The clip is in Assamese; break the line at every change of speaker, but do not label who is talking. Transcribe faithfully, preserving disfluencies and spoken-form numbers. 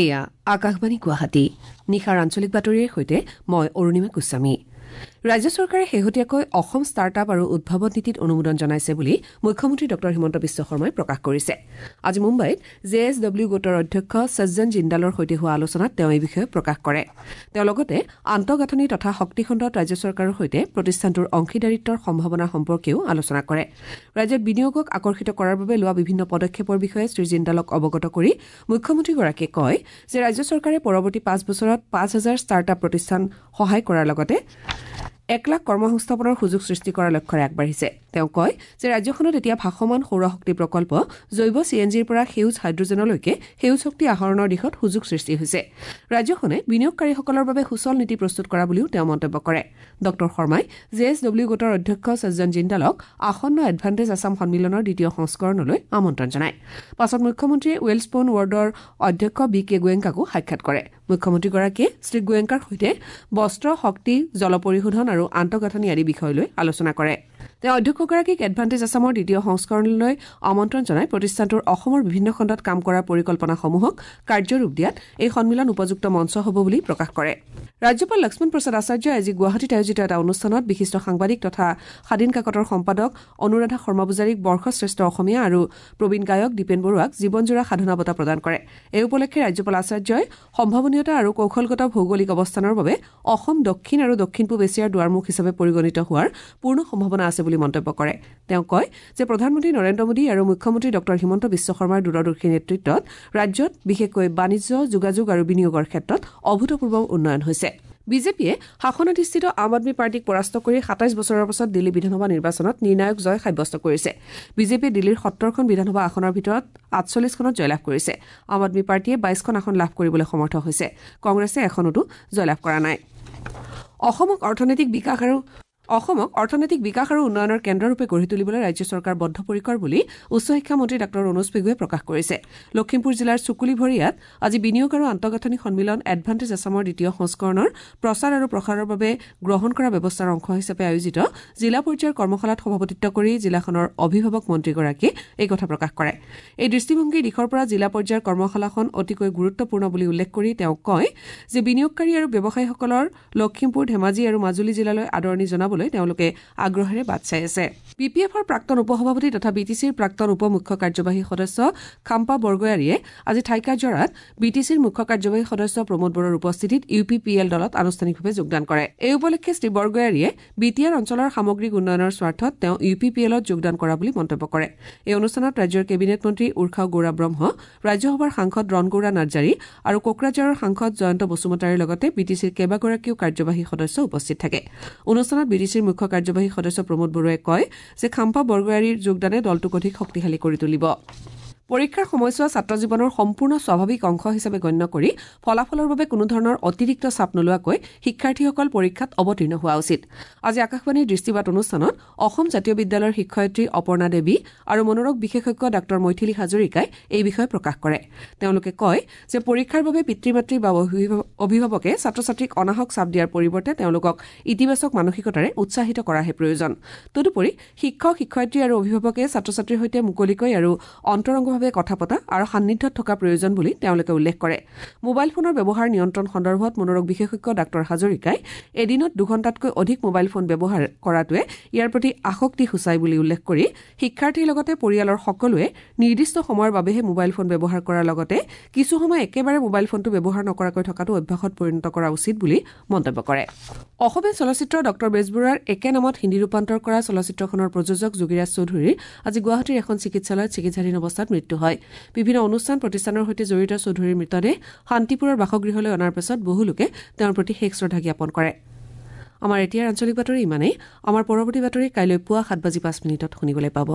এয়া আকাশবাণী গুৱাহাটী। নিশাৰ আঞ্চলিক বাতৰিৰ সৈতে মই অৰুণিমা গোস্বামী। ৰাজ্য চৰকাৰে শেহতীয়াকৈ অসম ষ্টাৰ্টআপ আৰু উদ্ভাৱন নীতিত অনুমোদন জনাইছে বুলি মুখ্যমন্ত্ৰী ডঃ হিমন্ত বিশ্ব শৰ্মাই প্ৰকাশ কৰিছে। আজি মুম্বাইত জে এছ ডব্লিউ গোটৰ অধ্যক্ষ সজ্জন জিন্দালৰ সৈতে হোৱা আলোচনাত তেওঁ এই বিষয়ে প্ৰকাশ কৰে। তেওঁ লগতে আন্তঃগাঁথনি তথা শক্তিখণ্ডত ৰাজ্য চৰকাৰৰ সৈতে প্ৰতিষ্ঠানটোৰ অংশীদাৰিত্বৰ সম্ভাৱনা সম্পৰ্কেও আলোচনা কৰে। ৰাজ্যত বিনিয়োগক আকৰ্ষিত কৰাৰ বাবে লোৱা বিভিন্ন পদক্ষেপৰ বিষয়ে শ্ৰীজিন্দালক অৱগত কৰি মুখ্যমন্ত্ৰীগৰাকীয়ে কয় যে ৰাজ্য চৰকাৰে পৰৱৰ্তী পাঁচ বছৰত পাঁচ হাজাৰ ষ্টাৰ্টআপ প্ৰতিষ্ঠান সহায় কৰাৰ লগতে এক লাখ কৰ্মসংস্থাপনৰ সুযোগ সৃষ্টি কৰাৰ লক্ষ্যৰে আগবাঢ়িছে। তেওঁ কয় যে ৰাজ্যখনত এতিয়া ভাসমান সৌৰশক্তি প্ৰকল্প, জৈৱ চি এন জিৰ পৰা সেউজ হাইড্ৰজেনলৈকে সেউজ শক্তি আহৰণৰ দিশত সুযোগ সৃষ্টি হৈছে। ৰাজ্যখনে বিনিয়োগকাৰীসকলৰ বাবে সুচল নীতি প্ৰস্তুত কৰা বুলিও তেওঁ মন্তব্য কৰে। ডঃ শৰ্মাই জে এছ ডব্লিউ গোটৰ অধ্যক্ষ সজ্জন জিন্দালক আসন্ন এডভান্টেজ আছাম সন্মিলনৰ দ্বিতীয় সংস্কৰণলৈ আমন্ত্ৰণ জনায়। পাছত মুখ্যমন্ত্ৰীয়ে ৱেলস্পন ৱৰ্ল্ডৰ অধ্যক্ষ বি কে গোৱেংকাকো সাক্ষাৎ কৰে। মুখ্যমন্ত্ৰীগৰাকীয়ে শ্ৰীগোৱেংকাৰ সৈতে বস্ত্ৰ, শক্তি, জল পৰিশোধন আৰু আন্তঃগাঁথনি আদি বিষয় লৈ আলোচনা কৰে। তেওঁ অধ্যক্ষগৰাকীক এডভান্টেজ আছামৰ দ্বিতীয় সংস্কৰণলৈ আমন্ত্ৰণ জনাই প্ৰতিষ্ঠানটোৰ অসমৰ বিভিন্ন খণ্ডত কাম কৰাৰ পৰিকল্পনাসমূহক কাৰ্যৰূপ দিয়াত এই সন্মিলন উপযুক্ত মঞ্চ হ'ব বুলি প্ৰকাশ কৰে। ৰাজ্যপাল লক্ষ্মণ প্ৰসাদ আচাৰ্যই আজি গুৱাহাটীত আয়োজিত এটা অনুষ্ঠানত বিশিষ্ট সাংবাদিক তথা সাদিন কাকতৰ সম্পাদক অনুৰাধা শৰ্মা পূজাৰীক বৰ্ষশ্ৰেষ্ঠ অসমীয়া আৰু প্ৰবীণ গায়ক দীপেন বৰুৱাক জীৱনজোৰা সাধনা বঁটা প্ৰদান কৰে। এই উপলক্ষে ৰাজ্যপাল আচাৰ্যই সম্ভাৱনীয়তা আৰু কৌশলগত ভৌগোলিক অৱস্থানৰ বাবে অসম দক্ষিণ আৰু দক্ষিণ পূব এছিয়াৰ দুৱাৰমুখ হিচাপে পৰিগণিত হোৱাৰ পূৰ্ণ সম্ভাৱনা আছে বুলি মন্তব্য কৰে। তেওঁ কয় যে প্ৰধানমন্ত্ৰী নৰেন্দ্ৰ মোদী আৰু মুখ্যমন্ত্ৰী ডঃ হিমন্ত বিশ্ব শৰ্মাৰ দূৰদৰ্শী নেতৃত্বত ৰাজ্যত বিশেষকৈ বাণিজ্য, যোগাযোগ আৰু বিনিয়োগৰ ক্ষেত্ৰত অভূতপূৰ্ব উন্নয়ন হৈছে। বিজেপিয়ে শাসনাধিষ্ঠিত আম আদমী পাৰ্টীক পৰাস্ত কৰি সাতাইছ বছৰৰ পাছত দিল্লী বিধানসভা নিৰ্বাচনত নিৰ্ণায়ক জয় সাব্যস্ত কৰিছে। বিজেপিয়ে দিল্লীৰ সত্তৰখন বিধানসভা আসনৰ ভিতৰত আঠচল্লিছখনত জয়লাভ কৰিছে। আম আদমী পাৰ্টীয়ে বাইছখন আসন লাভ কৰিবলৈ সমৰ্থ হৈছে। কংগ্ৰেছে এখনতো জয়লাভ কৰা নাই। অসমক অৰ্থনৈতিক বিকাশ আৰু অসমক অৰ্থনৈতিক বিকাশ আৰু উন্নয়নৰ কেন্দ্ৰৰূপে গঢ়ি তুলিবলৈ ৰাজ্য চৰকাৰ বদ্ধপৰিকৰ বুলি উচ্চ শিক্ষা মন্ত্ৰী ডাঃ ৰণোজ পেগুৱে প্ৰকাশ কৰিছে। লখিমপুৰ জিলাৰ চুকুলিভৰীয়াত আজি বিনিয়োগ আৰু আন্তঃগাঁথনি সন্মিলন এডভান্টেজ আছামৰ দ্বিতীয় সংস্কৰণৰ প্ৰচাৰ আৰু প্ৰসাৰৰ বাবে গ্ৰহণ কৰা ব্যৱস্থাৰ অংশ হিচাপে আয়োজিত জিলা পৰ্যায়ৰ কৰ্মশালাত সভাপতিত্ব কৰি জিলাখনৰ অভিভাৱক মন্ত্ৰীগৰাকীয়ে এই কথা প্ৰকাশ কৰে। এই দৃষ্টিভংগীৰ দিশৰ পৰা জিলা পৰ্যায়ৰ কৰ্মশালাখন অতিকৈ গুৰুত্বপূৰ্ণ বুলি উল্লেখ কৰি তেওঁ কয় যে বিনিয়োগকাৰী আৰু ব্যৱসায়ীসকলৰ লখিমপুৰ, ধেমাজি আৰু মাজুলী জিলালৈ আদৰণি জনাব তেওঁলোকে আগ্ৰহেৰে বাট চাই আছে। বি পি এফৰ প্ৰাক্তন উপসভাপতি তথা বি টি চিৰ প্ৰাক্তন উপ মুখ্য কাৰ্যবাহী সদস্য খাম্পা বৰগয়াৰীয়ে আজি থাইকাঝৰাত বি টি চিৰ মুখ্য কাৰ্যবাহী সদস্য প্ৰমোদ বড়োৰ উপস্থিতিত ইউ পি পি এল দলত আনুষ্ঠানিকভাৱে যোগদান কৰে। এই উপলক্ষে শ্ৰীবৰগয়াৰীয়ে বি টি আৰ অঞ্চলৰ সামগ্ৰিক উন্নয়নৰ স্বাৰ্থত তেওঁ ইউ পি পি এলত যোগদান কৰা বুলি মন্তব্য কৰে। এই অনুষ্ঠানত ৰাজ্যৰ কেবিনেট মন্ত্ৰী উৰ্খাও গৌৰা ব্ৰহ্ম, ৰাজ্যসভাৰ সাংসদ ৰণগৌৰা নাৰ্জাৰী আৰু কোকৰাঝাৰৰ সাংসদ জয়ন্ত বসুমতাৰীৰ লগতে বি টি চিৰ কেইবাগৰাকীও কাৰ্যবাহী সদস্য উপস্থিত থাকে। অনুষ্ঠানত বি টি চিৰ মুখ্য কাৰ্যবাহী সদস্য প্ৰমোদ বৰুৱাই কয় যে খাম্পা বৰগয়াৰীৰ যোগদানে দলটোক অধিক শক্তিশালী কৰি তুলিব। পৰীক্ষাৰ সময়ছোৱা ছাত্ৰ জীৱনৰ সম্পূৰ্ণ স্বাভাৱিক অংশ হিচাপে গণ্য কৰি ফলাফলৰ বাবে কোনোধৰণৰ অতিৰিক্ত চাপ নোলোৱাকৈ শিক্ষাৰ্থীসকল পৰীক্ষাত অৱতীৰ্ণ হোৱা উচিত। আজি আকাশবাণীৰ দৃষ্টিপাত অনুষ্ঠানত অসম জাতীয় বিদ্যালয়ৰ শিক্ষয়িত্ৰী অপৰ্ণা দেৱী আৰু মনোৰোগ বিশেষজ্ঞ ডাঃ মৈথিলী হাজৰিকাই এই বিষয়ে প্ৰকাশ কৰে। তেওঁলোকে কয় যে পৰীক্ষাৰ বাবে পিতৃ মাতৃ বা অভিভাৱকে ছাত্ৰ ছাত্ৰীক অনাহক চাপ দিয়াৰ পৰিৱৰ্তে তেওঁলোকক ইতিবাচক মানসিকতাৰে উৎসাহিত কৰাহে প্ৰয়োজন। তদুপৰি শিক্ষক, শিক্ষয়িত্ৰী আৰু অভিভাৱকে ছাত্ৰ ছাত্ৰীৰ সৈতে মুকলিকৈ আৰু অন্তৰংগ কথা পতা আৰু সান্নিধ্যত থকা প্ৰয়োজন বুলি তেওঁলোকে উল্লেখ কৰে। মোবাইল ফোনৰ ব্যৱহাৰ নিয়ন্ত্ৰণ সন্দৰ্ভত মনোৰোগ বিশেষজ্ঞ ডাঃ হাজৰিকাই এদিনত দুঘণ্টাতকৈ অধিক মোবাইল ফোন ব্যৱহাৰ কৰাটোৱে ইয়াৰ প্ৰতি আসক্তি সূচায় বুলি উল্লেখ কৰি শিক্ষাৰ্থীৰ লগতে পৰিয়ালৰ সকলোৱে নিৰ্দিষ্ট সময়ৰ বাবেহে মোবাইল ফোন ব্যৱহাৰ কৰাৰ লগতে কিছু সময় একেবাৰে মোবাইল ফোনটো ব্যৱহাৰ নকৰাকৈ থকাটো অভ্যাসত পৰিণত কৰা উচিত বুলি মন্তব্য কৰে। অসমীয়া চলচ্চিত্ৰ ডঃ বেজবৰুৱাৰ একে নামত হিন্দী ৰূপান্তৰ কৰা চলচ্চিত্ৰখনৰ প্ৰযোজক যোগীৰাজ চৌধুৰীৰ আজি গুৱাহাটীৰ এখন চিকিৎসালয়ত চিকিৎসাধীন অৱস্থাত মৃত্যু হয়। বিভিন্ন অনুষ্ঠান প্ৰতিষ্ঠানৰ সৈতে জড়িত চৌধুৰীৰ মৃতদেহ শান্তিপুৰৰ বাসগৃহলৈ অনাৰ পাছত বহু লোকে তেওঁৰ প্ৰতি শেষ শ্ৰদ্ধা জ্ঞাপন কৰে। আমাৰ এতিয়াৰ আঞ্চলিক বাতৰি ইমানেই। আমাৰ পৰৱৰ্তী বাতৰি কাইলৈ পুৱা সাত বাজি পাঁচ মিনিটত শুনিবলৈ পাব।